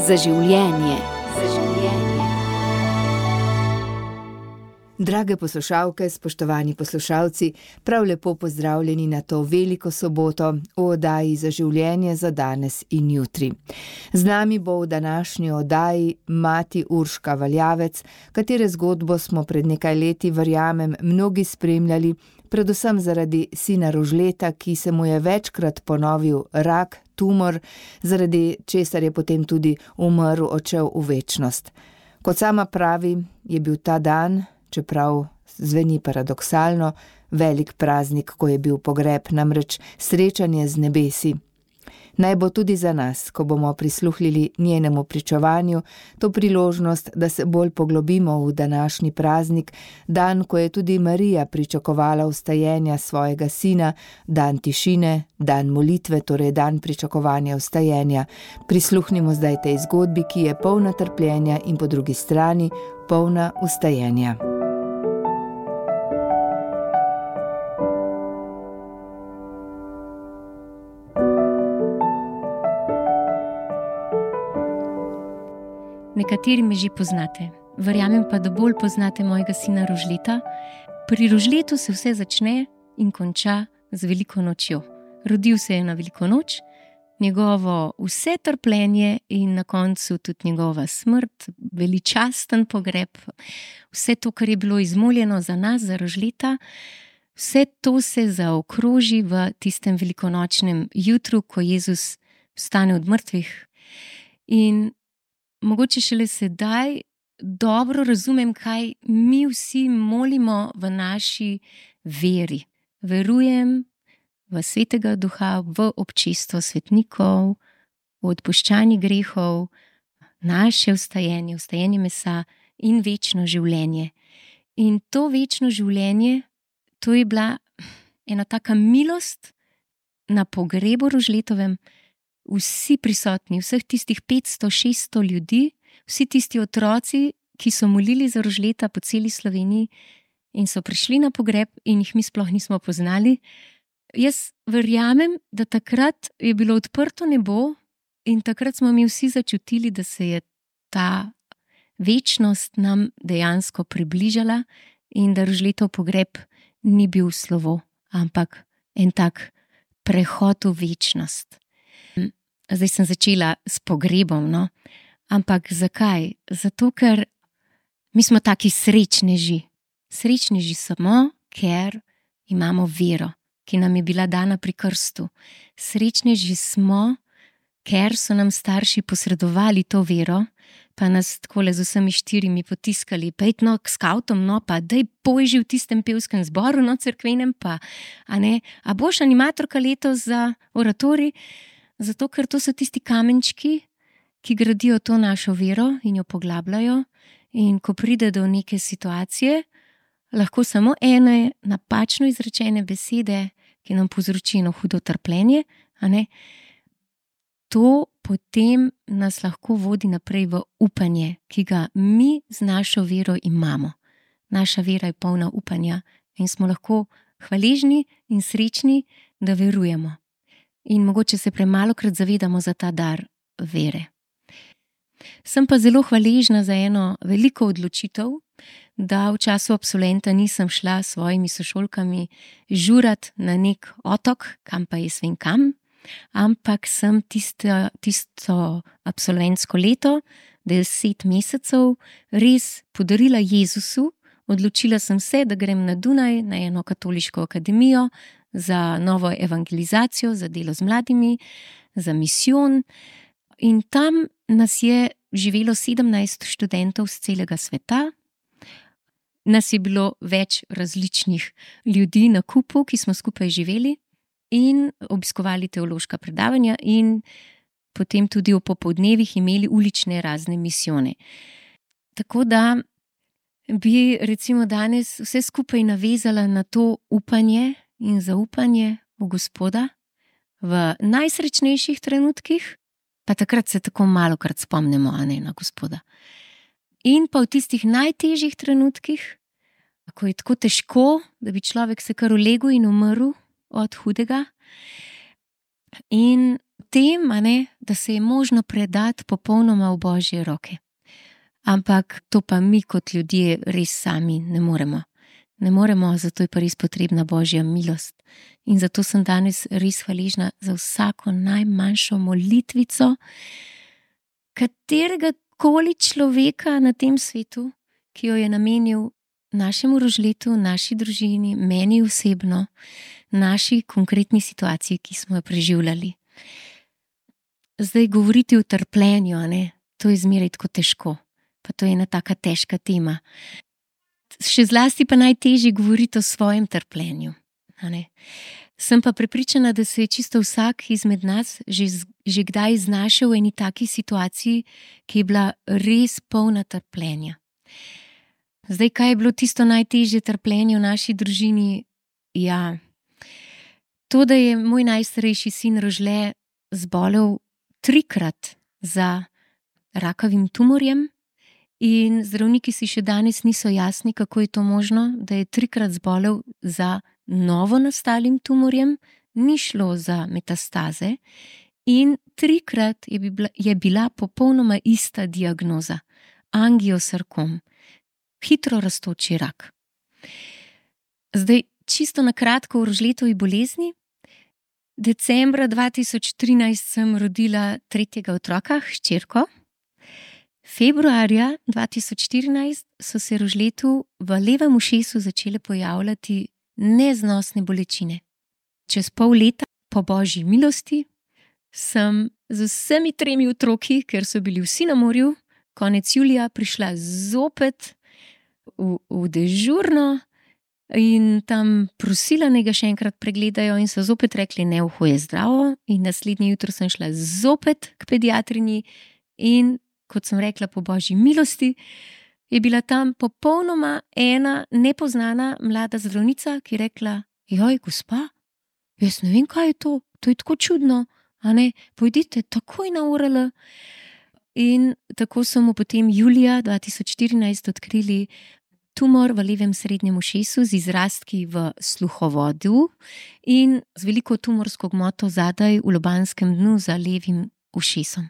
Za življenje. Drage poslušalke, spoštovani poslušalci, prav lepo pozdravljeni na to veliko soboto v oddaji Za življenje za danes in jutri. Z nami bo v današnji oddaji mati Urška Valjavec, katere zgodbo smo pred nekaj leti, verjamem, mnogi spremljali, predvsem zaradi sina Rožleta, ki se mu je večkrat ponovil rak, tumor, zaradi česar je potem tudi umrl, odšel v večnost. Kot sama pravi, je bil ta dan, čeprav zveni paradoksalno, velik praznik, ko je bil pogreb, namreč srečanje z nebesi. Naj bo tudi za nas, ko bomo prisluhnili njenemu pričevanju, to priložnost, da se bolj poglobimo v današnji praznik, dan, ko je tudi Marija pričakovala vstajenja svojega sina, dan tišine, dan molitve, torej dan pričakovanja vstajenja. Prisluhnimo zdaj tej zgodbi, ki je polna trpljenja in po drugi strani polna vstajenja. Nekateri me že poznate, verjamem pa, da bolj poznate mojega sina Rožleta. Pri Rožletu se vse začne in konča z veliko nočjo. Rodil se je na veliko noč, njegovo vse trpljenje in na koncu tudi njegova smrt, veličasten pogreb, vse to, kar je bilo izmoljeno za nas, za Rožleta, vse to se zaokroži v tistem velikonočnem jutru, ko Jezus vstane od mrtvih. In mogoče šele sedaj dobro razumem, kaj mi vsi molimo v naši veri. Verujem v Svetega Duha, v občestvo svetnikov, v odpuščanje grehov, naše vstajenje, vstajenje mesa in večno življenje. In to večno življenje, to je bila ena taka milost na pogrebu Rožletovem. Vsi prisotni, vseh tistih 500-600 ljudi, vsi tisti otroci, ki so molili za Rožleta po celi Sloveniji in so prišli na pogreb in jih mi sploh nismo poznali. Jaz verjamem, da takrat je bilo odprto nebo in takrat smo mi vsi začutili, da se je ta večnost nam dejansko približala in da Rožletov pogreb ni bil slovo, ampak en tak prehod v večnost. Zdaj sem začela s pogrebom, no? Ampak zakaj? Zato, ker mi smo taki srečneži. Srečneži smo, ker imamo vero, ki nam je bila dana pri krstu. Srečneži smo, ker so nam starši posredovali to vero, pa nas takole z vsemi 4 potiskali, pejt no k skavtom, no pa daj pojži v tistem pevskem zboru, no cerkvenem pa, a ne, a boš animatorka letos za oratorij? Zato, ker to so tisti kamenčki, ki gradijo to našo vero in jo poglabljajo, in ko pride do neke situacije, lahko samo ene napačno izrečene besede, ki nam povzroči eno hudo trpljenje, a ne, to potem nas lahko vodi naprej v upanje, ki ga mi z našo vero imamo. Naša vera je polna upanja in smo lahko hvaležni in srečni, da verujemo. In mogoče se premalokrat zavedamo za ta dar vere. Sem pa zelo hvaležna za eno veliko odločitev, da v času absolventa nisem šla s svojimi sošolkami žurat na nek otok, kam pa jaz vem kam, ampak sem tisto absolventsko leto, 10 mesecev, res podarila Jezusu. Odločila sem se, da grem na Dunaj, na eno katoliško akademijo, za novo evangelizacijo, za delo z mladimi, za misijon. In tam nas je živelo 17 študentov z celega sveta. Nas je bilo več različnih ljudi na kupu, ki smo skupaj živeli in obiskovali teološka predavanja in potem tudi v popoldnevih imeli ulične razne misijone. Tako da bi recimo danes vse skupaj navezala na to upanje in zaupanje v Gospoda v najsrečnejših trenutkih, pa takrat se tako malokrat spomnimo, a ne, na Gospoda. In pa v tistih najtežjih trenutkih, ko je tako težko, da bi človek se kar ulegel in umrl od hudega. In tem, da se je možno predati popolnoma v Božje roke. Ampak to pa mi kot ljudje res sami ne moremo. Ne moremo, zato je pa res potrebna Božja milost. In zato sem danes res hvaležna za vsako najmanjšo molitvico katerega koli človeka na tem svetu, ki jo je namenil našemu Rožletu, naši družini, meni osebno, naši konkretni situaciji, ki smo jo preživljali. Zdaj govoriti o trpljenju, to je zmeraj tako težko, pa to je ena taka težka tema. Še zlasti pa najtežje govoriti o svojem trpljenju. Sem pa prepričana, da se je čisto vsak izmed nas že kdaj znašel v eni taki situaciji, ki je bila res polna trpljenja. Zdaj, kaj je bilo tisto najtežje trpljenje v naši družini? Ja, to, da je moj najstarejši sin Rožle zbolel 3-krat za rakavim tumorjem in zdravniki si še danes niso jasni, kako je to možno, da je 3-krat zbolel za novo nastalim tumorjem, ni šlo za metastaze in 3-krat je bila popolnoma ista diagnoza, angiosarkom, hitro rastoči rak. Zdaj, čisto na kratko o Rožletovi bolezni. Decembra 2013 sem rodila 3. otroka, hčerko. Februarja 2014 so se Rožletu v levem ušesu začele pojavljati neznosne bolečine. Čez pol leta, po Božji milosti, sem z vsemi 3 otroki, ker so bili vsi na morju, konec julija prišla zopet v dežurno in tam prosila, naj ga še enkrat pregledajo in so zopet rekli, ne, uho je zdravo, in naslednje jutro sem šla zopet k pediatrinji in, kot sem rekla, po Božji milosti, je bila tam popolnoma ena nepoznana mlada zdravnica, ki je rekla, joj, gospa, jaz ne vem, kaj je to je tako čudno, pojdite takoj na URL. In tako so mu potem julija 2014 odkrili tumor v levem srednjem ušesu z izrastki v sluhovodu in z veliko tumorsko gmoto zadaj v lobanskem dnu za levim ušesom.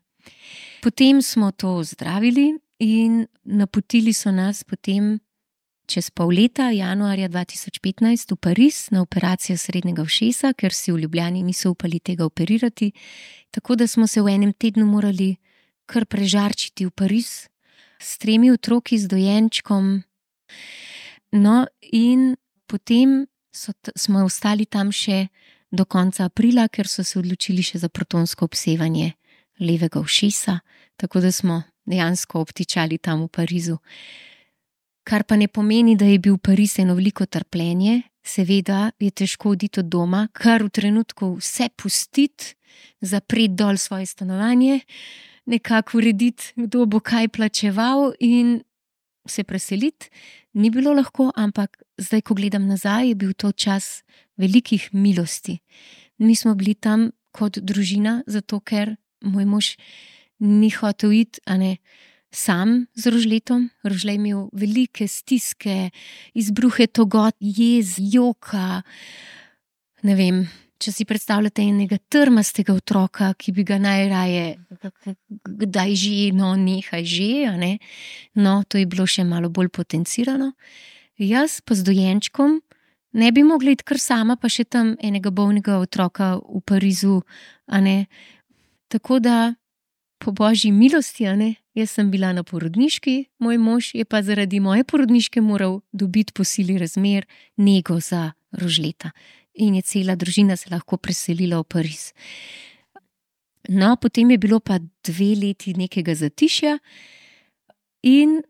Potem smo to zdravili in napotili so nas potem čez pol leta, januarja 2015, v Pariz na operacijo srednjega ušesa, ker si v Ljubljani niso upali tega operirati, tako da smo se v enem tednu morali kar prežarčiti v Pariz s 3 otroki, z dojenčkom. No, in potem smo ostali tam še do konca aprila, ker so se odločili še za protonsko obsevanje levega ušesa, tako da smo dejansko obtičali tam v Parizu. Kar pa ne pomeni, da je bil Pariz eno veliko trpljenje, seveda je težko oditi od doma, kar v trenutku vse pustiti, zapreti dol svoje stanovanje, nekako urediti, kdo bo kaj plačeval in se preseliti. Ni bilo lahko, ampak zdaj, ko gledam nazaj, je bil to čas velikih milosti. Mi smo bili tam kot družina, zato ker moj mož ni hotel iti, sam z Rožletom. Rožle je imel velike stiske, izbruhe togot, jez, joka. Ne vem, če si predstavljate enega trmastega otroka, ki bi ga najraje, kdaj že, nehaj že, No, to je bilo še malo bolj potencirano. Jaz pa z dojenčkom ne bi mogla iti kar sama, pa še tam enega bolnega otroka v Parizu, Tako da, po Božji milosti, jaz sem bila na porodniški, moj mož je pa zaradi moje porodniške moral dobiti po sili razmer nego za Rožleta. In je cela družina se lahko preselila v Pariz. No, potem je bilo pa 2 leti nekega zatišja in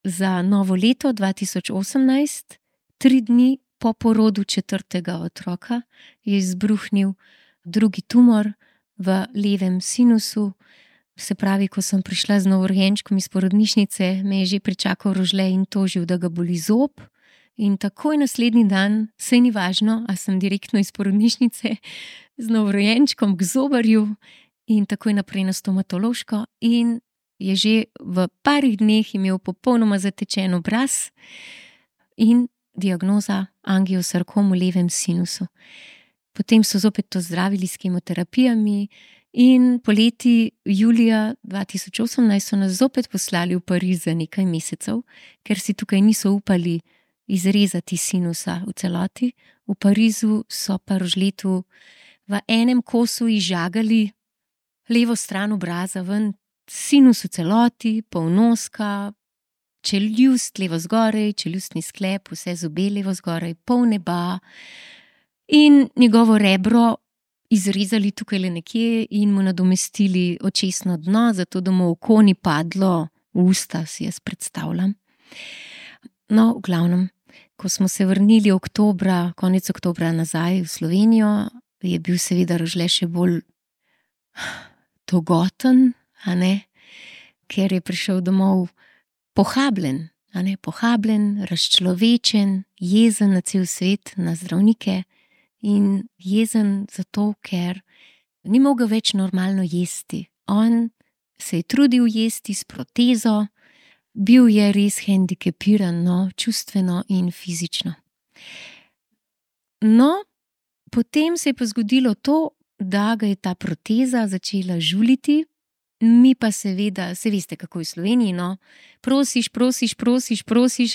za novo leto 2018, 3 dni po porodu 4. otroka, je izbruhnil drugi tumor v levem sinusu. Se pravi, ko sem prišla z novorojenčkom iz porodnišnice, me je že pričakal Rožle in tožil, da ga boli zob. In takoj naslednji dan, saj ni važno, a sem direktno iz porodnišnice z novorojenčkom k zobarju in takoj naprej na stomatološko in je že v parih dneh imel popolnoma zatečen obraz in diagnoza angiosarkom v levem sinusu. Potem so zopet to zdravili s kemoterapijami in poleti julija 2018 so nas zopet poslali v Pariz za nekaj mesecev, ker si tukaj niso upali izrezati sinusa v celoti. V Parizu so pa Rožletu v enem kosu izžagali levo stran obraza ven, sinus v celoti, polnoska, čeljust levo zgoraj, čeljustni sklep, vse zobe levo zgoraj, pol neba in njegovo rebro izrezali tukaj le nekje in mu nadomestili očesno dno, zato da mu oko ni padlo v usta, si jaz predstavljam. No, v glavnem, ko smo se vrnili konec oktobra nazaj v Slovenijo, je bil seveda Rožle še bolj togoten, a ne, ker je prišel domov pohabljen, a ne, pohabljen, razčlovečen, jezen na cel svet, na zdravnike in jezen zato, ker ni mogel več normalno jesti. On se je trudil jesti s protezo, bil je res hendikepiran, no, čustveno in fizično. No, potem se je pa zgodilo to, da ga je ta proteza začela žuliti, mi pa seveda, se veste, kako je v Sloveniji, no, prosiš,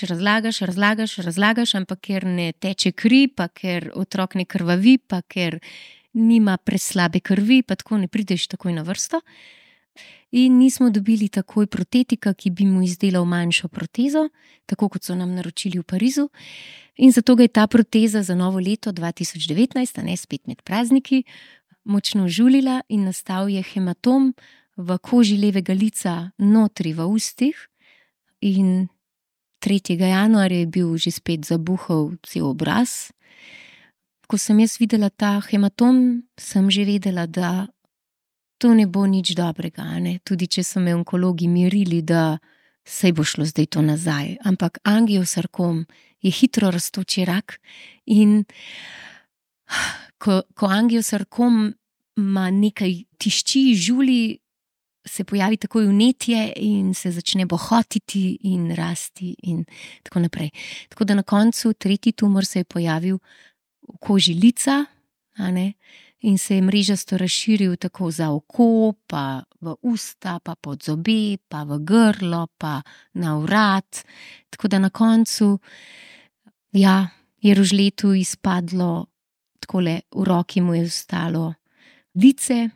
razlagaš, ampak ker ne teče kri, pa ker otrok ne krvavi, pa ker nima preslabe krvi, pa tako ne prideš takoj na vrsto. In nismo dobili takoj protetika, ki bi mu izdelal manjšo protezo, tako kot so nam naročili v Parizu. In zato ga je ta proteza za novo leto 2019, a ne spet med prazniki, močno žulila in nastal je hematom v koži levega lica notri v ustih. In 3. januarja je bil že spet zabuhal cel obraz. Ko sem jaz videla ta hematom, sem že vedela, da to ne bo nič dobrega, ne? Tudi če so me onkologi mirili, da saj bo šlo zdaj to nazaj. Ampak angiosarkom je hitro rastoči rak in ko angiosarkom ima nekaj tišči, žuli, se pojavi takoj vnetje in se začne bohotiti in rasti in tako naprej. Tako da na koncu 3. tumor se je pojavil v koži lica, a ne? In se je mrežasto razširil tako za oko, pa v usta, pa pod zobe, pa v grlo, pa na vrat. Tako da na koncu, ja, je Rožletu izpadlo, takole v roki mu je ostalo lice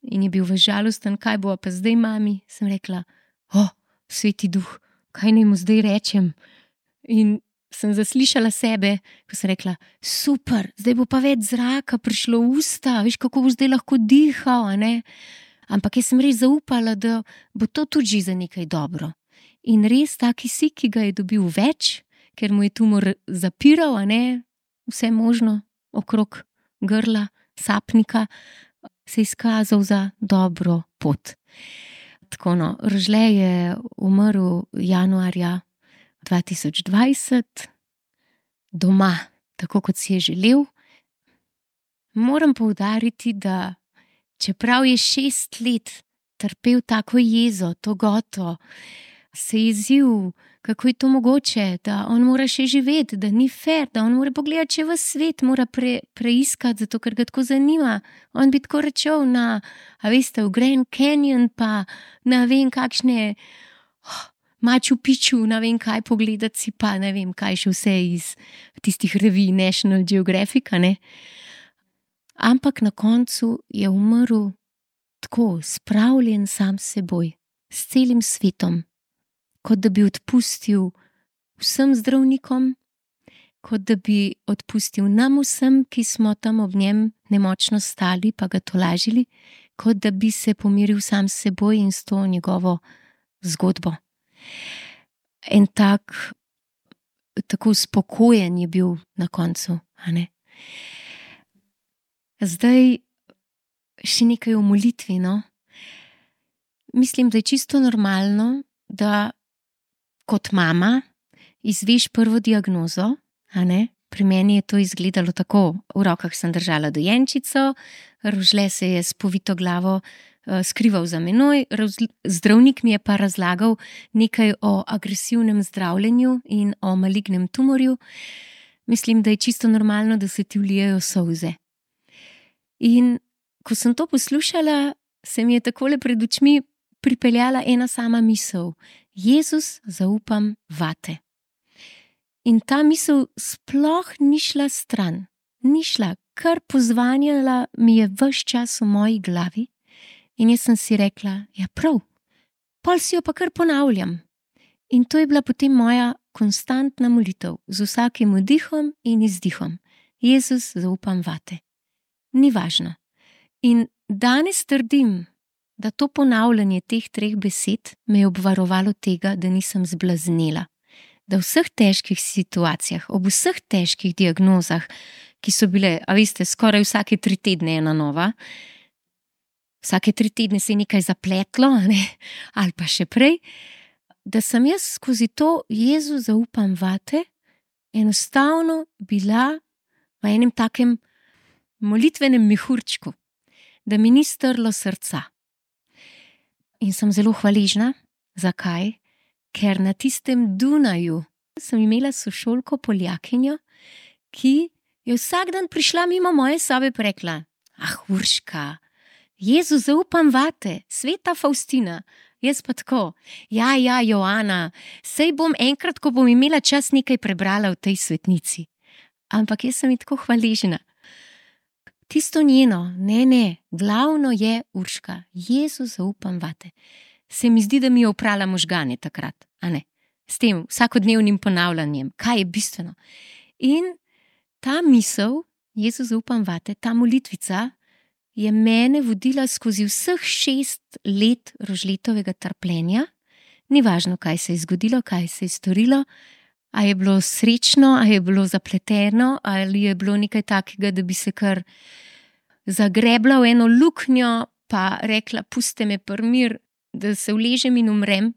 in je bil žalosten, kaj bo pa zdaj, mami? Sem rekla, sveti duh, kaj naj mu zdaj rečem? In sem zaslišala sebe, ko sem rekla, super, zdaj bo pa več zraka prišlo v usta, veš, kako bo zdaj lahko dihal, a ne? Ampak jaz sem res zaupala, da bo to tudi že za nekaj dobro. In res ta kisik, ki ga je dobil več, ker mu je tumor zapiral, a ne, vse možno okrog grla, sapnika, se je izkazal za dobro pot. Tako no, Rožle je umrl januarja 2020, doma, tako kot si je želel. Moram poudariti, da čeprav je 6 let trpel tako jezo, togoto, se je jezil, kako je to mogoče, da on mora še živeti, da ni fair, da on mora pogledati še ves svet, mora preiskati, zato ker ga tako zanima. On bi tako rečel na, a veste, v Grand Canyon, pa ne vem kakšne Machu Picchu, ne vem kaj pogledati si, pa ne vem kaj še vse iz tistih revij National Geographic, ne. Ampak na koncu je umrl tako, spravljen sam s seboj, s celim svetom, kot da bi odpustil vsem zdravnikom, kot da bi odpustil nam vsem, ki smo tam ob njem nemočno stali pa ga tolažili, kot da bi se pomiril sam s seboj in s to njegovo zgodbo. En tako spokojen je bil na koncu, a ne. Zdaj še nekaj o molitvi, no. Mislim, da je čisto normalno, da kot mama izveš prvo diagnozo, a ne. Pri meni je to izgledalo tako, v rokah sem držala dojenčico, Rožle se je s povito glavo skrival za menoj, zdravnik mi je pa razlagal nekaj o agresivnem zdravljenju in o malignem tumorju. Mislim, da je čisto normalno, da se ti vlijejo solze. In ko sem to poslušala, se mi je takole pred očmi pripeljala ena sama misel. Jezus, zaupam vate. In ta misel sploh ni šla stran. Ni šla, kar pozvanjala mi je ves čas v moji glavi. In jaz sem si rekla, ja prav, pol si jo pa kar ponavljam. In to je bila potem moja konstantna molitev, z vsakim vdihom in izdihom. Jezus, zaupam vate. Ni važno. In danes trdim, da to ponavljanje teh 3 besed me je obvarovalo tega, da nisem zblaznela. Da v vseh težkih situacijah, ob vseh težkih diagnozah, ki so bile, a veste, skoraj vsake 3 tedne ena nova, vsake 3 tedne se je nekaj zapletlo, ne? Ali pa še prej, da sem jaz skozi to Jezu zaupam vate, enostavno bila v enem takem molitvenem mehurčku, da mi ni strlo srca. In sem zelo hvaležna. Zakaj? Ker na tistem Dunaju sem imela sošolko Poljakinjo, ki je vsak dan prišla mimo moje sobe in rekla: Urška, Jezu zaupam vate, sveta Faustina. Jaz pa tako: ja, Joana, sej bom enkrat, ko bom imela čas, nekaj prebrala v tej svetnici. Ampak jaz sem ji tako hvaležna. Tisto njeno, ne, glavno je Urška, Jezu zaupam vate. Se mi zdi, da mi je oprala možgane takrat, a ne? S tem vsakodnevnim ponavljanjem, kaj je bistveno. In ta misel, Jezu zaupam vate, ta molitvica, je mene vodila skozi vseh 6 let Rožletovega trpljenja. Ni važno, kaj se je zgodilo, kaj se je storilo, a je bilo srečno, a je bilo zapleteno, ali je bilo nekaj takega, da bi se kar zagrebla v eno luknjo, pa rekla, puste me mir, da se uležem in umrem,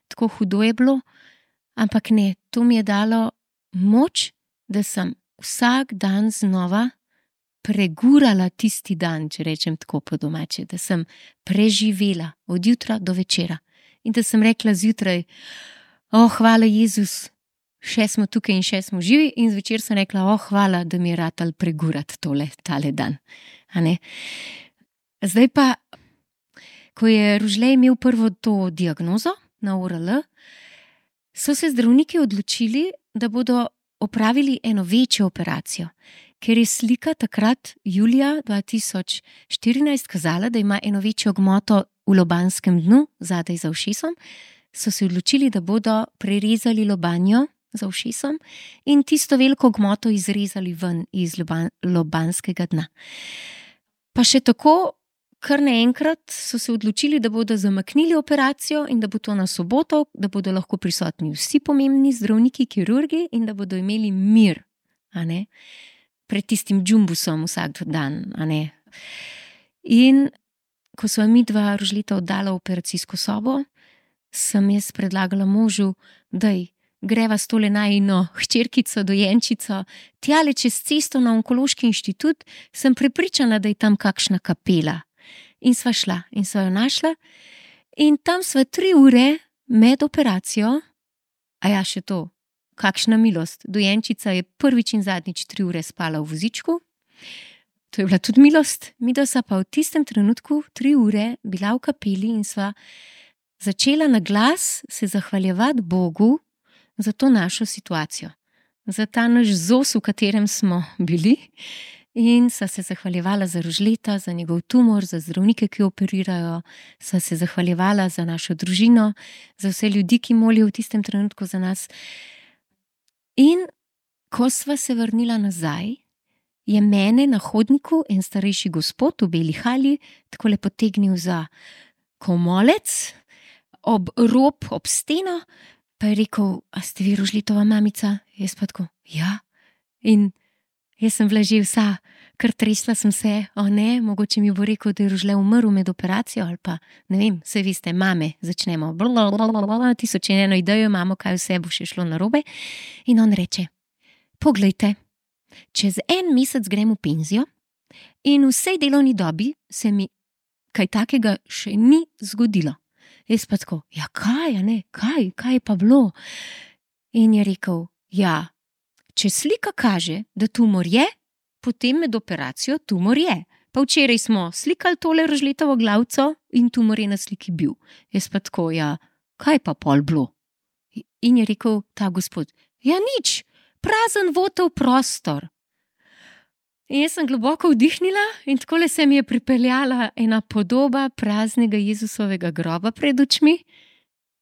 tako hudo je bilo. Ampak ne, to mi je dalo moč, da sem vsak dan znova pregurala tisti dan, če rečem tako po domače, da sem preživela od jutra do večera. In da sem rekla zjutraj: hvala Jezus, še smo tukaj in še smo živi, in zvečer sem rekla: hvala, da mi je ratal pregurati tale dan. A ne? Zdaj pa, ko je Rožle imel prvo to diagnozo na ORL, so se zdravniki odločili, da bodo opravili eno večjo operacijo, ker je slika takrat, julija 2014, kazala, da ima eno večjo gmoto v lobanskem dnu, zadaj za ušesom, so se odločili, da bodo prerezali lobanjo za ušesom in tisto veliko gmoto izrezali ven iz lobanskega dna. Pa še tako, kar naenkrat so se odločili, da bodo zamaknili operacijo in da bo to na soboto, da bodo lahko prisotni vsi pomembni zdravniki, kirurgi in da bodo imeli mir, a ne? Pred tistim džumbusom vsak dan, a ne? In ko sva midva Rožleta oddala v operacijsko sobo, sem jaz predlagala možu, daj, greva s tole najino hčerkico, dojenčico, tjale čez cesto na Onkološki inštitut, sem prepričana, da je tam kakšna kapela. In sva šla in sva jo našla in tam sva 3 ure med operacijo, a ja, še to, kakšna milost, dojenčica je prvič in zadnjič 3 ure spala v vozičku, to je bila tudi milost, midva sva pa v tistem trenutku 3 ure bila v kapeli in sva začela na glas se zahvaljevati Bogu za to našo situacijo, za ta naš ZOS, v katerem smo bili, in sva se zahvaljevala za Rožleta, za njegov tumor, za zdravnike, ki operirajo, sva se zahvaljevala za našo družino, za vse ljudi, ki molijo v tistem trenutku za nas. In ko sva se vrnila nazaj, je mene na hodniku en starejši gospod v beli halji takole potegnil za komolec, ob rob, ob steno, pa je rekel: a ste vi Rožletova mamica? Jaz pa tako: ja. In jaz sem bila že vsa, kar tresla sem se, ne, mogoče mi bo rekel, da je Rožle umrl med operacijo, ali pa, ne vem, saj veste, mame, začnemo, tisoč in eno idejo imamo, kaj vse bo še šlo narobe. In on reče: poglejte, čez 1 mesec grem v penzijo in v vsej delovni dobi se mi kaj takega še ni zgodilo. Jaz pa tako: ja, kaj, a ne, kaj je pa bilo? In je rekel: ja, če slika kaže, da tumor je, potem med operacijo tumor je. Pa včeraj smo slikali tole rožletovo glavco in tumor je na sliki bil. Jaz pa tako, ja, kaj pa pol bilo? In je rekel ta gospod, ja nič, prazen votov prostor. In jaz sem globoko vdihnila in takole se mi je pripeljala ena podoba praznega Jezusovega groba pred očmi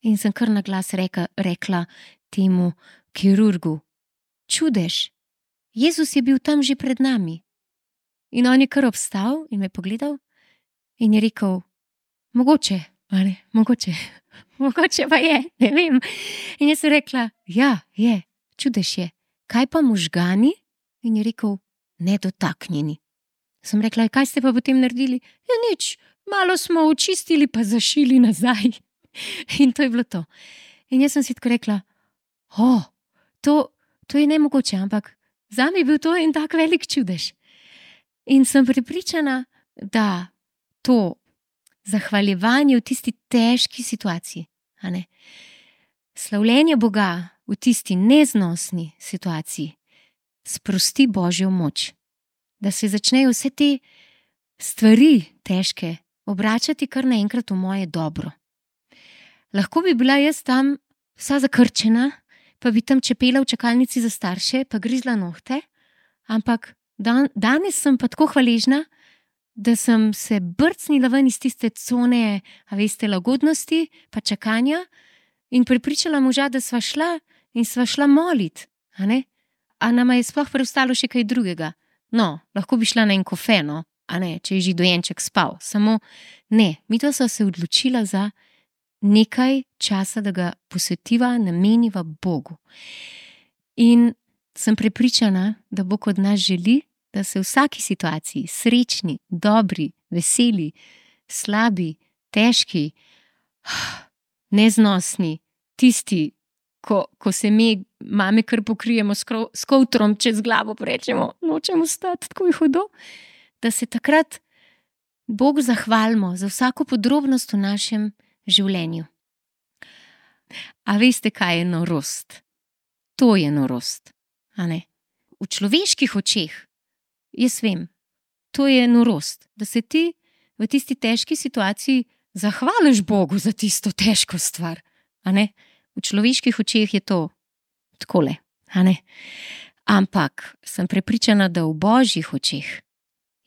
in sem kar na glas rekla temu kirurgu, čudež, Jezus je bil tam že pred nami. In on je kar obstal in me pogledal in je rekel, mogoče, ali mogoče pa je, ne vem. In jaz sem rekla, ja, je, čudež je, kaj pa možgani? In je rekel, nedotaknjeni. Sem rekla, kaj ste pa potem naredili? Ja, nič, malo smo očistili pa zašili nazaj. In to je bilo to. In jaz sem si tako rekla, to je nemogoče, ampak zame je bil to en tak velik čudež. In sem prepričana, da to zahvaljevanje v tisti težki situaciji, a ne, slavljenje Boga v tisti neznosni situaciji, sprosti Božjo moč, da se začnejo vse te stvari težke obračati kar naenkrat v moje dobro. Lahko bi bila jaz tam vsa zakrčena, pa bi tam čepela v čakalnici za starše, pa grizla nohte, ampak danes sem pa tako hvaležna, da sem se brcnila ven iz tiste cone, a veste, lagodnosti, pa čakanja in prepričala moža, da sva šla molit, a ne? A nama je sploh preostalo še kaj drugega? No, lahko bi šla na en kofe, no, a ne, če je že dojenček spal. Samo ne, midva sva se odločila za nekaj časa, da ga posvetiva, nameniva Bogu. In sem prepričana, da Bog od nas želi, da se v vsaki situaciji, srečni, dobri, veseli, slabi, težki, neznosni, tisti, ko se mi, mame, kar pokrijemo s kovtrom čez glavo, pa rečemo, nočemo stati, tako je hudo, da se takrat Bogu zahvalimo za vsako podrobnost v našem življenju. A veste, kaj je norost? To je norost, a ne? V človeških očeh, jaz vem, to je norost, da se ti v tisti težki situaciji zahvališ Bogu za tisto težko stvar, a ne? V človeških očeh je to takole, a ne? Ampak sem prepričana, da v Božjih očeh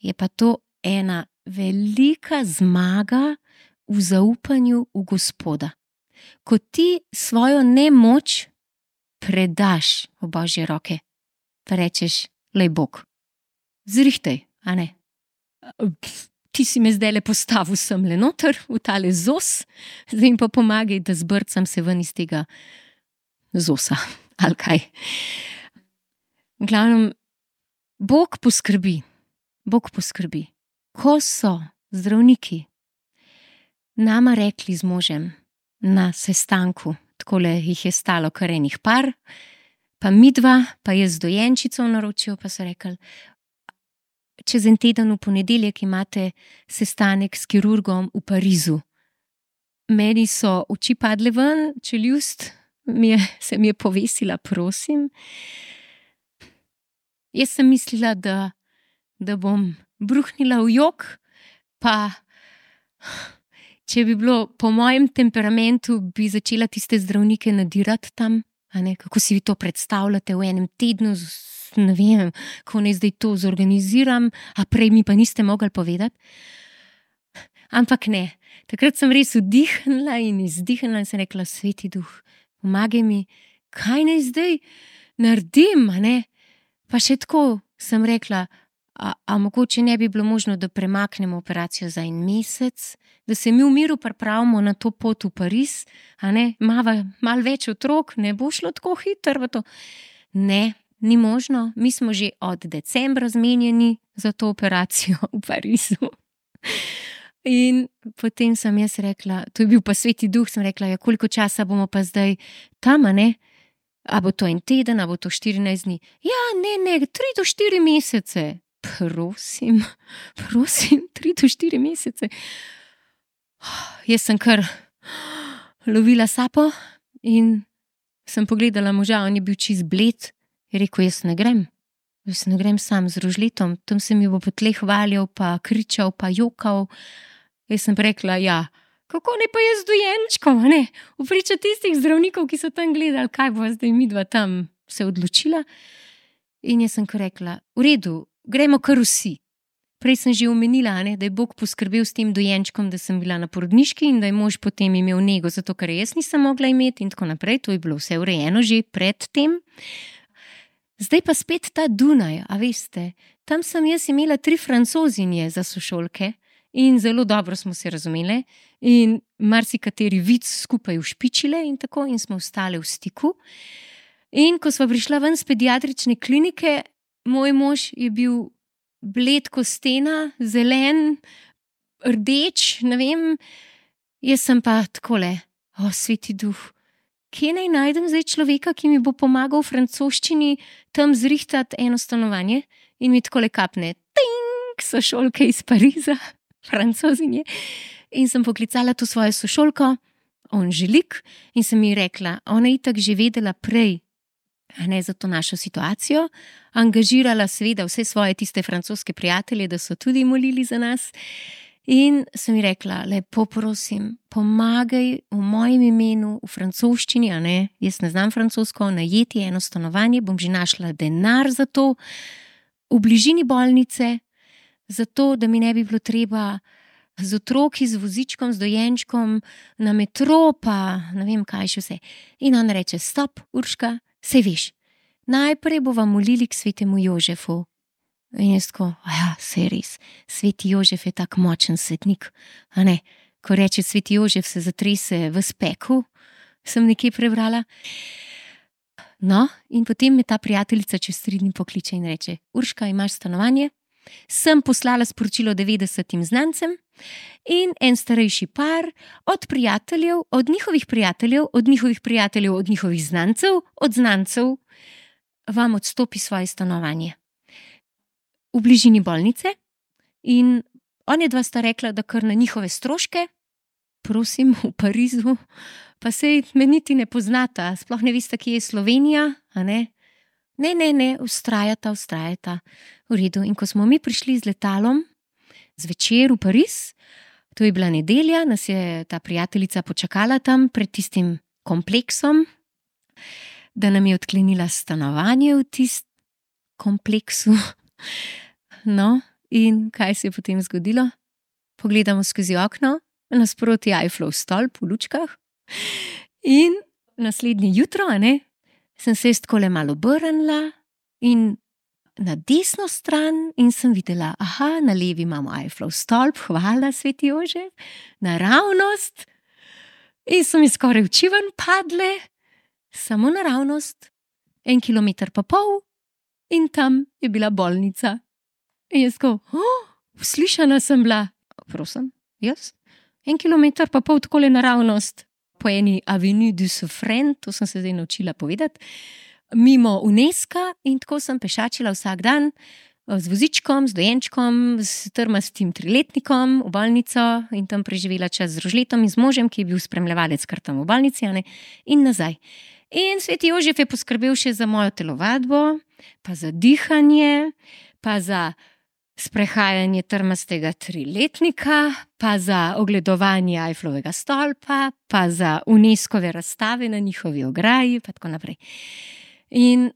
je pa to ena velika zmaga v zaupanju v Gospoda. Ko ti svojo nemoč predaš v Božje roke, pa rečeš, lej Bog, zrihtaj, a ne? Ti si me zdajle postavil semle noter v tale zos, zdaj pa pomagaj, da zbrcam se ven iz tega zosa, ali kaj. V glavnem, Bog poskrbi. Ko so zdravniki nama rekli z možem na sestanku, takole jih je stalo kar enih par, pa midva, pa jaz z dojenčico v naročju, pa so rekli, čez en teden v ponedeljek imate sestanek s kirurgom v Parizu. Meni so oči padle ven, čeljust se mi je povesila, prosim. Jaz sem mislila, da bom bruhnila v jok, pa če bi bilo po mojem temperamentu, bi začela tiste zdravnike nadirati tam, a ne, kako si vi to predstavljate v enem tednu, ne vem, kako naj zdaj to zorganiziram, a prej mi pa niste mogli povedati. Ampak ne, takrat sem res vdihnila in izdihnila in sem rekla, Sveti Duh, pomagaj mi, kaj naj zdaj naredim, a ne? Pa še tako sem rekla, a mogoče ne bi bilo možno, da premaknemo operacijo za en mesec, da se mi v miru pripravimo na to pot v Pariz, a ne, malo več otrok, ne bo šlo tako hitro v to. Ne, ni možno, mi smo že od decembra zmenjeni za to operacijo v Parizu. In potem sem jaz rekla, to je bil pa Sveti Duh, sem rekla, ja, koliko časa bomo pa zdaj tam, a ne? A bo to en teden, a bo to 14 dni? Ja, ne, 3 do 4 mesece. Prosim, 3 do 4 mesece. Jaz sem kar lovila sapo in sem pogledala moža, on je bil čist bled, je rekel, jaz ne grem. Jaz ne grem sam z rožletom, tam se mi bo po tleh valjal, pa kričal, pa jokal. Jaz sem rekla, ja, kako ne pa jaz z dojenčkom, ne? Vpriča tistih zdravnikov, ki so tam gledali, kaj bo zdaj midva tam se odločila. In jaz sem rekla, v redu, gremo kar vsi. Prej sem že omenila, ne, da je Bog poskrbel s tem dojenčkom, da sem bila na porodniški in da je mož potem imel nego, zato ker jaz nisem mogla imeti in tako naprej. To je bilo vse urejeno že pred tem. Zdaj pa spet ta Dunaj, a veste, tam sem jaz imela 3 Francozinje za sošolke in zelo dobro smo se razumele in marsikateri vic skupaj ušpičile in tako in smo ostale v stiku. In ko sva prišla ven z pediatrične klinike, moj mož je bil bled ko stena, zelen, rdeč, ne vem, jaz sem pa takole, sveti duh, kje naj najdem zdaj človeka, ki mi bo pomagal v francoščini tam zrihtati eno stanovanje in mi takole kapne, ting, sošolke iz Pariza, Francozinje. In sem poklicala to svojo sošolko, Anželik, in sem ji rekla, ona je itak že vedela prej, a ne za to našo situacijo, angažirala seveda vse svoje tiste francoske prijatelje, da so tudi molili za nas. In sem ji rekla, lepo prosim, pomagaj v mojem imenu, v francoščini, a ne, jaz ne znam francosko, najeti eno stanovanje, bom že našla denar za to, v bližini bolnice, zato, da mi ne bi bilo treba z otroki, z vozičkom, z dojenčkom, na metro, pa ne vem kaj še vse. In on reče, stop, Urška, saj veš, najprej bova molili k svetemu Jožefu. In jaz tako, ja, saj res, sveti Jožef je tak močen svetnik, a ne, ko reče sveti Jožef se zatrese v speku, sem nekje prebrala. No, in potem me ta prijateljica čez 3 dni pokliče in reče, Urška, imaš stanovanje? Sem poslala sporočilo 90 znancem in en starejši par od prijateljev, od njihovih prijateljev, od njihovih prijateljev, od njihovih znancev, od znancev vam odstopi svoje stanovanje v bližini bolnice in on je 2 sta rekla, da kar na njihove stroške, prosim, v Parizu, pa sej me niti ne poznata, sploh ne veste, kje je Slovenija, a ne? Ne, vztrajata. V redu. In ko smo mi prišli z letalom zvečer v Pariz, to je bila nedelja, nas je ta prijateljica počakala tam pred tistim kompleksom, da nam je odklenila stanovanje v tistem kompleksu. No, in kaj se je potem zgodilo? Pogledamo skozi okno, nasproti Eifflov stolp v lučkah in naslednje jutro, a ne? Sem se takole malo obrnila in na desno stran in sem videla, aha, na levi imamo Eifflov stolp, hvala, sveti Jožef, naravnost. In so mi skoraj oči ven padle, samo naravnost, 1,5 kilometra in tam je bila bolnica. In jaz ko, uslišana sem bila, prosim, jaz, 1,5 kilometra takole naravnost. Po eni Avenue du Suffren, to sem se zdaj naučila povedati, mimo UNESCO in tako sem pešačila vsak dan z vozičkom, z dojenčkom, s trmastim 3-letnikom v bolnico in tam preživela čas z rožletom in z možem, ki je bil spremljevalec kar tam v bolnici, ne, in nazaj. In sveti Jožef je poskrbel še za mojo telovadbo, pa za dihanje, pa za sprehajanje trmastega 3-letnika, pa za ogledovanje Eifflovega stolpa, pa za UNESCO-ve razstave na njihovi ograji, pa tako naprej. In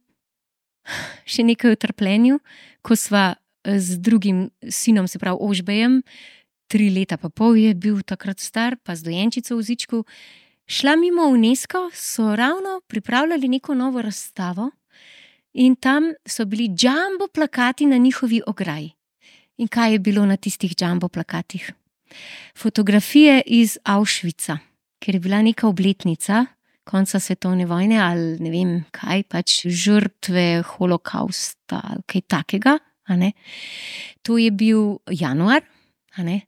še nekaj o trpljenju, ko sva z drugim sinom, se pravi Ožbejem, 3,5 leta je bil takrat star, pa z dojenčico v vozičku, šla mimo UNESCO, so ravno pripravljali neko novo razstavo in tam so bili jumbo plakati na njihovi ograji. In kaj je bilo na tistih jumbo plakatih? Fotografije iz Auschwitza, ker je bila neka obletnica konca svetovne vojne ali ne vem kaj, pač žrtve holokausta ali kaj takega, a ne. To je bil januar, a ne.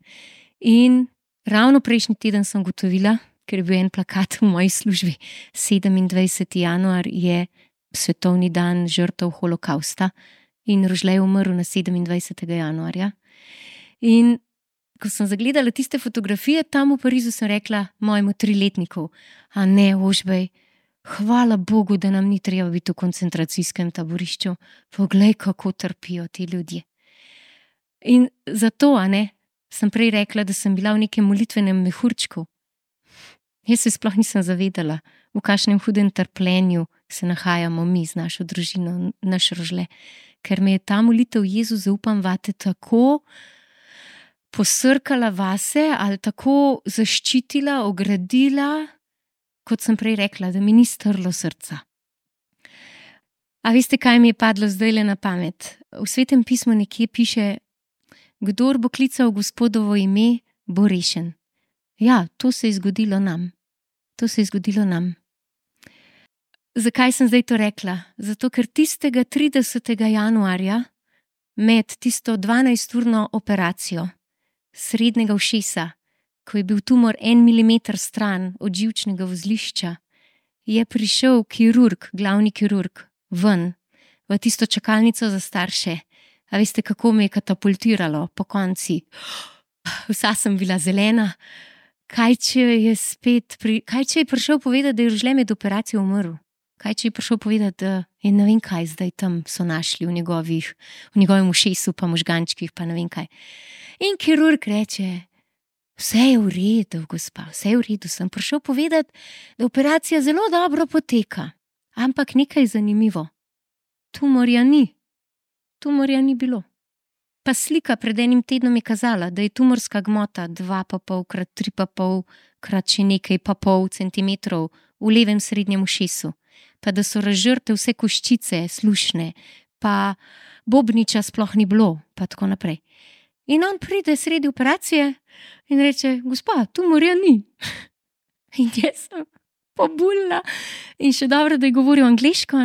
In ravno prejšnji teden sem gotovila, ker je bil en plakat v moji službi, 27. januar je svetovni dan žrtev holokausta. In Rožle je umrl na 27. januarja. In ko sem zagledala tiste fotografije tam v Parizu, sem rekla mojemu 3-letniku, a ne, Ožbej, hvala Bogu, da nam ni treba biti v koncentracijskem taborišču. Poglej, kako trpijo ti ljudje. In zato, sem prej rekla, da sem bila v nekem molitvenem mehurčku. Jaz se sploh nisem zavedala, v kakšnem hudem trpljenju se nahajamo mi z našo družino, naš Rožle. Ker me je ta molitev Jezu, zaupam vate, tako posrkala vase ali tako zaščitila, ogradila, kot sem prej rekla, da mi ni strlo srca. A veste, kaj mi je padlo zdajle na pamet? V Svetem pismu nekje piše: kdor bo klical Gospodovo ime, bo rešen. Ja, to se je zgodilo nam. To se je zgodilo nam. Zakaj sem zdaj to rekla? Zato, ker tistega 30. januarja med tisto 12-urno operacijo srednjega ušesa, ko je bil tumor 1 milimeter stran od živčnega vozlišča, je prišel kirurg, glavni kirurg, ven v tisto čakalnico za starše. A veste, kako me je katapultiralo po konci? Vsa sem bila zelena. Kaj če je prišel povedati, da je Rožle med operacijo umrl? Kaj če je prišel povedati, da je ne vem kaj zdaj tam so našli v njegovem ušesu, pa možgančkih, pa ne vem kaj. In kirurg reče: vse je v redu, gospa, vse je v redu. Sem prišel povedati, da operacija zelo dobro poteka. Ampak nekaj je zanimivo. Tumorja ni bilo. Pa slika pred enim tednom je kazala, da je tumorska gmota 2,5 krat 3,5 krat še nekaj pa pol centimetrov v levem srednjem ušesu. Pa da so razžrte vse koščice, slušne, pa bobniča sploh ni bilo, pa tako naprej. In on pride sredi operacije in reče: gospa, tumorja ni. In jaz sem pobulila. In še dobro, da je govoril angleško,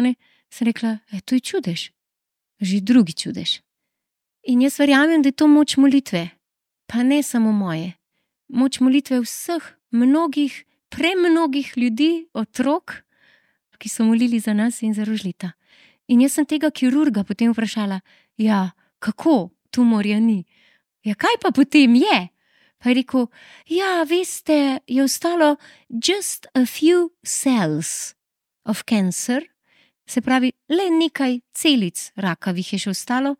sem rekla: to je čudež. Že drugi čudež. In jaz verjamem, da je to moč molitve. Pa ne samo moje. Moč molitve vseh, mnogih, premnogih ljudi, otrok, ki so molili za nas in za Rožleta. In jaz sem tega kirurga potem vprašala: ja, kako tumorja ni? Ja, kaj pa potem je? Pa je rekel: ja, veste, je ostalo just a few cells of cancer, se pravi, le nekaj celic rakavih je še ostalo,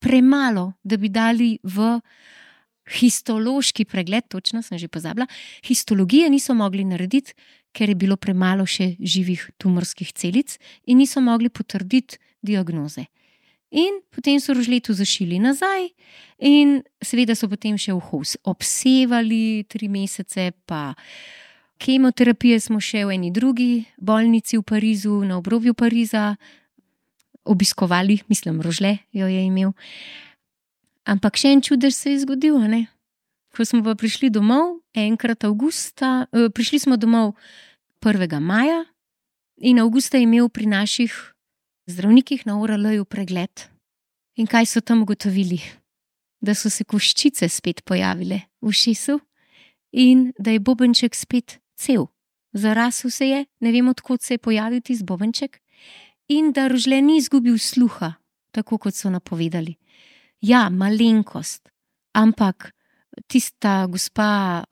premalo, da bi dali v histološki pregled, točno sem že pozabila, histologije niso mogli narediti, ker je bilo premalo še živih tumorskih celic in niso mogli potrditi diagnoze. In potem so Rožletu zašili nazaj in seveda so potem še obsevali 3 mesece, pa kemoterapije smo še v eni drugi bolnici v Parizu, na obrobju Pariza, obiskovali, mislim, Rožle jo je imel. Ampak še en čudež se je zgodil, Ko smo pa prišli domov, enkrat avgusta, prišli smo domov 1. maja in avgusta je imel pri naših zdravnikih na ORL-ju pregled. In kaj so tam ugotovili? Da so se koščice spet pojavile v ušesu in da je bobenček spet cel. Zarasel se je, ne vem, od kod se je pojavil tisti bobenček, in da Rožle ni izgubil sluha, tako kot so napovedali. Ja, malenkost, ampak tista gospa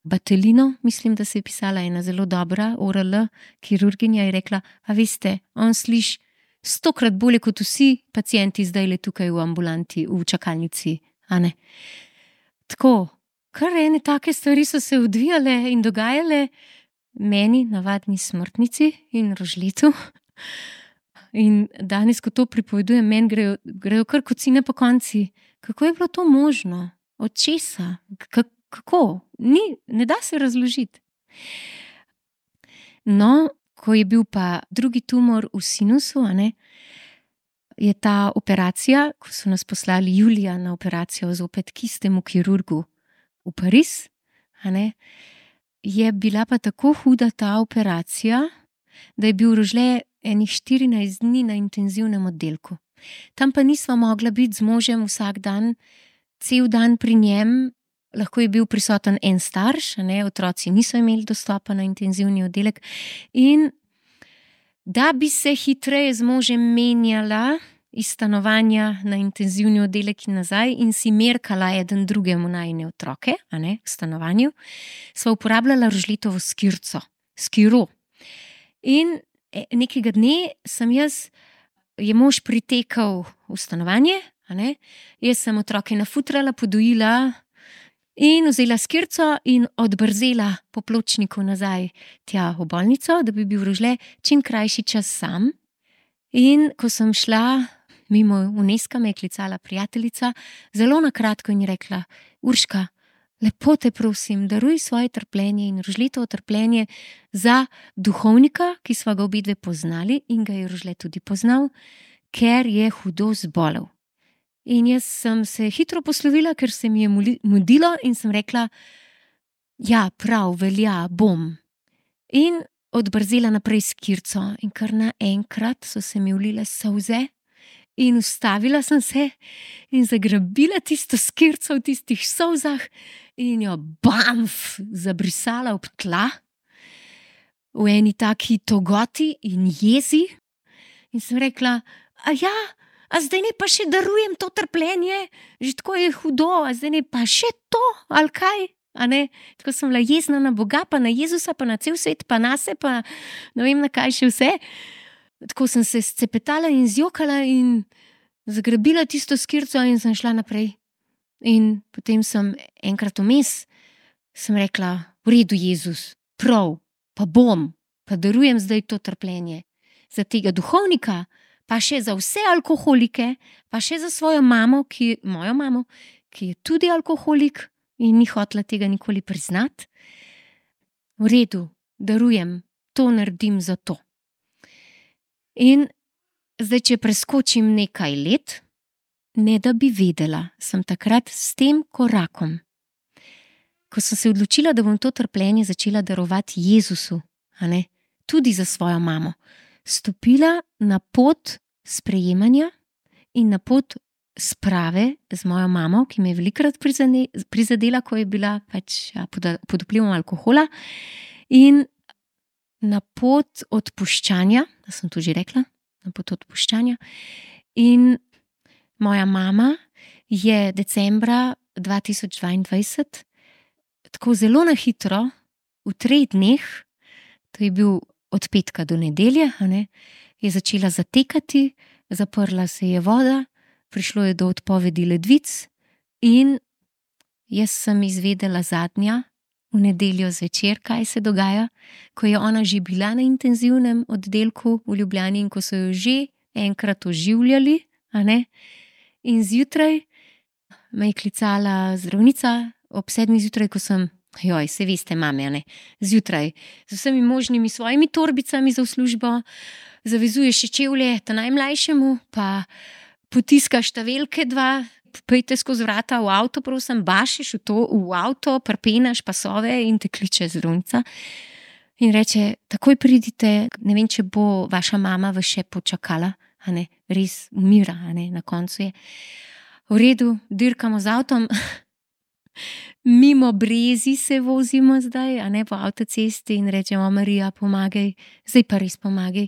Batelino, mislim, da se je pisala ena zelo dobra ORL kirurginja, je rekla: a veste, on sliši 100-krat bolje kot vsi pacienti zdajle tukaj v ambulanti, v čakalnici, Tako, kar ene take stvari so se odvijale in dogajale meni, navadni smrtnici, in Rožletu. In danes, ko to pripovedujem, meni grejo kar kocine po konci. Kako je bilo to možno? Od česa? Kako? Ne da se razložiti. No, ko je bil pa drugi tumor v sinusu, je ta operacija, ko so nas poslali julija na operacijo zopet k istemu kirurgu v Pariz, je bila pa tako huda ta operacija, da je bil Rožle enih 14 dni na intenzivnem oddelku. Tam pa nisva mogla biti z možem vsak dan, cel dan pri njem, lahko je bil prisoten en starš, otroci niso imeli dostopa na intenzivni oddelek. In da bi se hitreje z možem menjala iz stanovanja na intenzivni oddelek in nazaj in si merkala eden drugemu najine otroke, v stanovanju, sva uporabljala Rožletovo skiro. In nekega dne je mož pritekel v stanovanje, a ne? Jaz sem otroke nafutrala, podojila in vzela skirco in odbrzela po pločniku nazaj tja v bolnico, da bi bil Rožle čim krajši čas sam. In ko sem šla mimo Uneska, me je klicala prijateljica, zelo na kratko in je rekla: Urška, lepo te prosim, daruj svoje trpljenje in Rožletovo trpljenje za duhovnika, ki sva ga obidve poznali in ga je Rožle tudi poznal, ker je hudo zbolel. In jaz sem se hitro poslovila, ker se mi je mudilo in sem rekla: ja, prav, velja, bom. In odbrzela naprej skirco in kar naenkrat so se mi vlile solze in ustavila sem se in zagrabila tisto skirco v tistih solzah in jo bamf zabrisala ob tla v eni taki togoti in jezi. In sem rekla: a zdaj ne pa še darujem to trpljenje, že tako je hudo, a zdaj ne pa še to, ali kaj? A ne? Tako sem bila jezna na Boga, pa na Jezusa, pa na cel svet, pa nase, pa ne vem na kaj še vse. Tako sem se scepetala in zjokala in zagrabila tisto skirco in sem šla naprej. In potem sem enkrat vmes sem rekla: v redu, Jezus, prav, pa bom, pa darujem zdaj to trpljenje. Za tega duhovnika, pa še za vse alkoholike, pa še za svojo mamo, mojo mamo, ki je tudi alkoholik in ni hotela tega nikoli priznati. V redu, darujem, to naredim za to. In zdaj, če preskočim nekaj let, ne da bi vedela, sem takrat s tem korakom, ko sem se odločila, da bom to trpljenje začela darovati Jezusu, a ne, tudi za svojo mamo, stopila na pot sprejemanja in na pot sprave z mojo mamo, ki me je velikokrat prizadela, ko je bila pod vplivom alkohola, in na pot odpuščanja, da sem to že rekla, na pot odpuščanja. In moja mama je decembra 2022 tako zelo na hitro, v 3 dneh, to je bil od petka do nedelje, a ne, je začela zatekati, zaprla se je voda, prišlo je do odpovedi ledvic in jaz sem izvedela zadnja v nedeljo zvečer, kaj se dogaja, ko je ona že bila na intenzivnem oddelku v Ljubljani in ko so jo že enkrat oživljali, a ne, in zjutraj me je klicala zdravnica ob 7 zjutraj, ko sem, se veste, mame, a ne, zjutraj, z vsemi možnimi svojimi torbicami za v službo, zavezuješ še čevlje ta najmlajšemu, pa potiskaš ta velike 2, pejte skozi vrata v avto, prosim, bašeš v avto, prpenaš pasove in te kliče zdravnica. In reče: takoj pridite, ne vem, če bo vaša mama vas še počakala, a ne, res umira, a ne, na koncu je. V redu, dirkamo z avtom, mimo Brezi se vozimo zdaj, a ne, po avtocesti in rečemo: Marija, pomagaj, zdaj pa res pomagaj.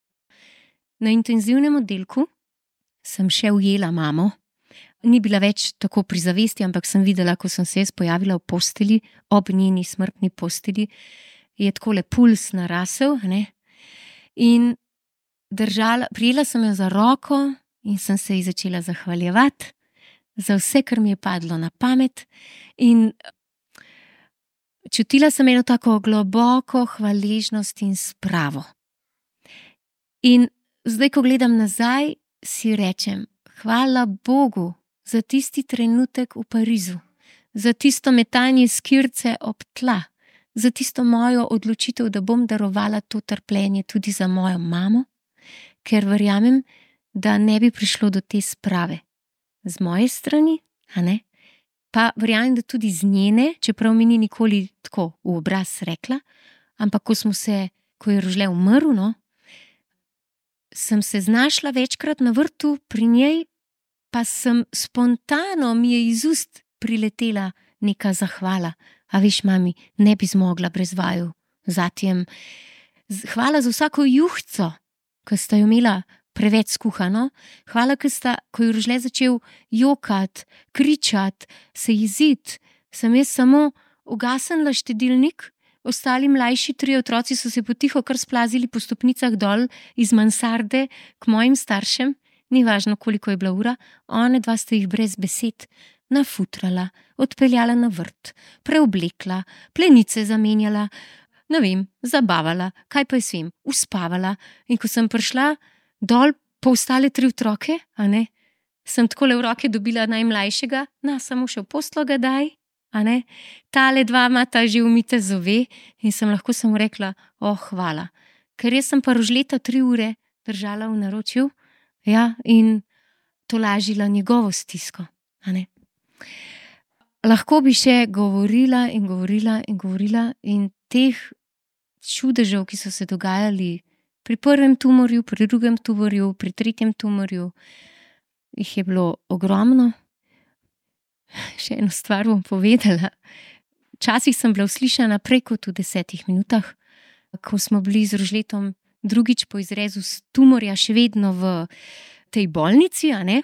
Na intenzivnem oddelku sem še ujela mamo, ni bila več tako pri zavesti, ampak sem videla, ko sem se jaz pojavila v posteli, ob njeni smrtni posteli, je takole puls narasel, ne, in prijela sem jo za roko in sem se ji začela zahvaljevati za vse, kar mi je padlo na pamet, in čutila sem eno tako globoko hvaležnost in spravo. In zdaj, ko gledam nazaj, si rečem: hvala Bogu za tisti trenutek v Parizu, za tisto metanje skirce ob tla, za tisto mojo odločitev, da bom darovala to trpljenje tudi za mojo mamo, ker verjamem, da ne bi prišlo do te sprave z moje strani, a ne, pa verjamem, da tudi z njene, čeprav mi ni nikoli tako v obraz rekla, ampak ko je Rožle umrl, no, sem se znašla večkrat na vrtu pri njej, pa sem spontano, mi je iz ust priletela neka zahvala. A veš, mami, ne bi zmogla brez vaju, zatjem. Hvala za vsako juhco, ki sta jo imela preveč skuhano. Hvala, ko je Rožle začel jokati, kričati, se jeziti, sem jaz samo ugasnila štedilnik, ostali mlajši 3 otroci so se potiho kar splazili po stopnicah dol iz mansarde k mojim staršem, ni važno, koliko je bila ura, one dva sta jih brez besed nafutrala, odpeljala na vrt, preoblekla, plenice zamenjala, ne vem, zabavala, kaj pa jaz vem, uspavala. In ko sem prišla dol po ostale 3 otroke, a ne, sem takole v roke dobila najmlajšega, samo še v poslo ga daj, a ne, tale 2 imata že umite zobe in sem lahko samo rekla, hvala. Ker jaz sem pa Rožleta 3 ure držala v naročju, ja, in tolažila njegovo stisko, a ne. Lahko bi še govorila in govorila in govorila in teh čudežev, ki so se dogajali pri 1. tumorju, pri 2. tumorju, pri 3. tumorju, jih je bilo ogromno. Še eno stvar bom povedala. Včasih sem bila uslišana prej kot v 10 minutah, ko smo bili z Rožletom drugič po izrezu tumorja še vedno v tej bolnici, a ne?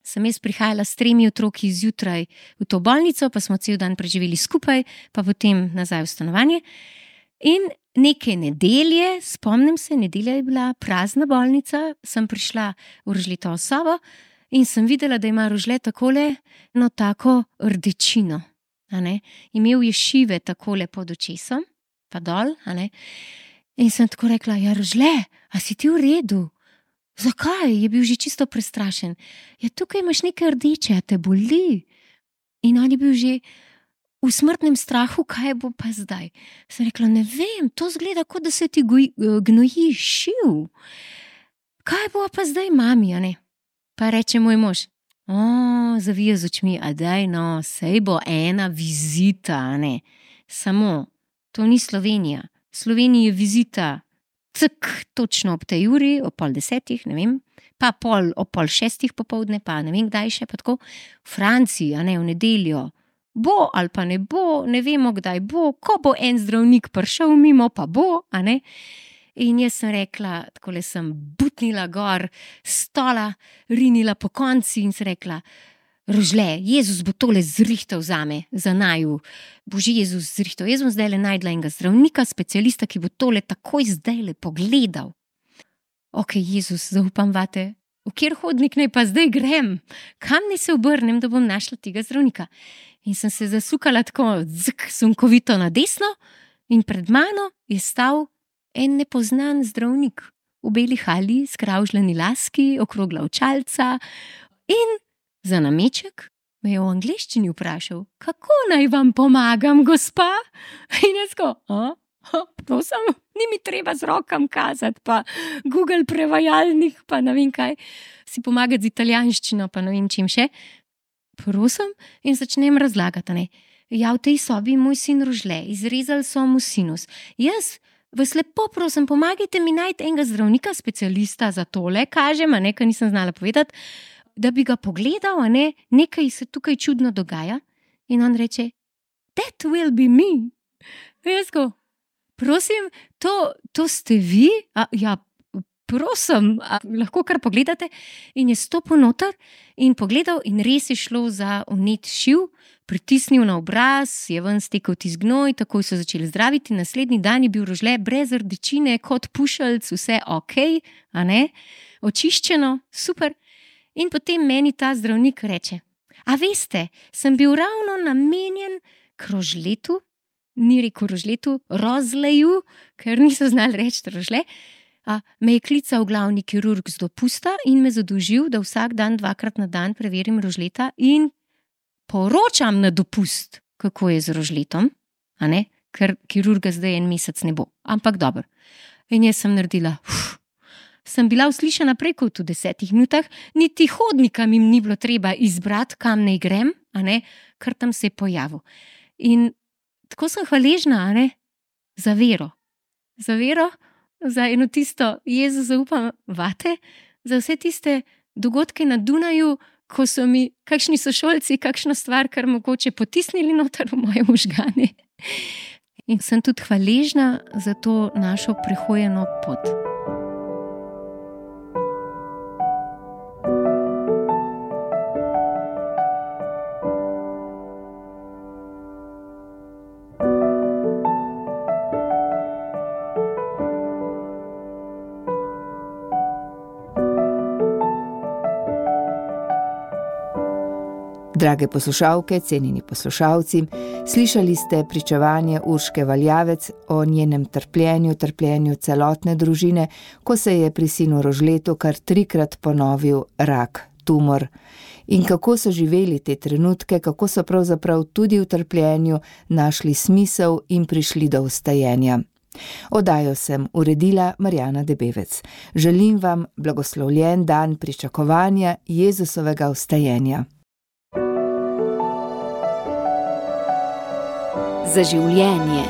Sem jaz prihajala s 3 otroki zjutraj v to bolnico, pa smo cel dan preživeli skupaj, pa potem nazaj v stanovanje. In neke nedelje, spomnim se, nedelja je bila prazna bolnica, sem prišla v Rožletovo sobo in sem videla, da ima Rožle takole eno tako rdečino, a ne. Imel je šive takole pod očesom, pa dol, a ne. In sem tako rekla, ja, Rožle, a si ti v redu? Zakaj? Je bil že čisto prestrašen. Ja, tukaj imaš nekaj rdeče, a te boli? In on je bil že v smrtnem strahu, kaj bo pa zdaj. Sem rekla, ne vem, to zgleda, kot da se ti gnoji šiv. Kaj bo pa zdaj, mami, a ne? Pa reče moj mož, zavija z očmi, a daj no, sej bo ena vizita, a ne? Samo, to ni Slovenija. V Sloveniji je vizita točno ob tej uri, ob 9:30, ne vem, pa ob 5:30 popoldne, pa ne vem kdaj še, pa tako. V Franciji, a ne, v nedeljo, bo ali pa ne bo, ne vemo kdaj bo, ko bo en zdravnik prišel mimo, pa bo, a ne. In jaz sem rekla, takole sem butnila gor stola, rinila po konci in sem rekla, Rožle, Jezus bo tole zrihtal zame, za naju. Bože, Jezus zrihtal. Jaz bom zdajle najdla enega zdravnika, specialista, ki bo tole takoj zdajle pogledal. Ok, Jezus, zaupam vate. V kjer hodnik naj pa zdaj grem? Kam naj se obrnem, da bom našla tega zdravnika? In sem se zasukala tako sunkovito na desno in pred mano je stal en nepoznan zdravnik v beli halji, skravžljeni laski, okrogla očalca in za nameček me je v angleščini vprašal, kako naj vam pomagam, gospa? In jaz ko, prosim, ni mi treba z rokam kazati, pa Google prevajalnik, pa ne vem kaj, si pomagati z italijanščino, pa ne vem čim še. Prosim, in začnem razlagati, ne. Ja, v tej sobi moj sin Rožle, izrezali so mu sinus. Jaz vas lepo prosim, pomagajte mi najti enega zdravnika, specialista za tole, kažem, a ne, ker nisem znala povedati, da bi ga pogledal, a ne, nekaj se tukaj čudno dogaja. In on reče, that will be me. In jaz ko, prosim, to ste vi? Ja, prosim, lahko kar pogledate. In je stopil noter in pogledal in res je šlo za vnet šiv, pritisnil na obraz, je ven stekel tisti gnoj, takoj so začeli zdraviti. Naslednji dan je bil Rožle brez rdečine, kot pušelc, vse ok, a ne, očiščeno, super. In potem meni ta zdravnik reče, a veste, sem bil ravno namenjen k Rožletu, ni rekel Rožletu, Rozleju, ker niso znali reči Rožle, me je klical glavni kirurg z dopusta in me zadolžil, da vsak dan 2-krat na dan preverim Rožleta in poročam na dopust, kako je z Rožletom, a ne, ker kirurga zdaj 1 mesec ne bo, ampak dobro. In jaz sem naredila, sem bila uslišana prej kot v 10 minutah, niti hodnika mi ni bilo treba izbrati, kam naj grem, a ne, ker tam se je pojavil. In tako sem hvaležna, a ne, za vero. Za vero, za eno tisto, Jezus, zaupam vate, za vse tiste dogodke na Dunaju, ko so mi kakšni sošolci kakšno stvar, kar mogoče potisnili noter v moje možgane. In sem tudi hvaležna za to našo prehojeno pot. Drage poslušalke, cenjeni poslušalci, slišali ste pričevanje Urške Valjavec o njenem trpljenju celotne družine, ko se je pri sinu Rožletu kar 3-krat ponovil rak, tumor. In kako so živeli te trenutke, kako so pravzaprav tudi v trpljenju našli smisel in prišli do vstajenja. Oddajo sem uredila Marjana Debevec. Želim vam blagoslovljen dan pričakovanja Jezusovega vstajenja. Za življenje.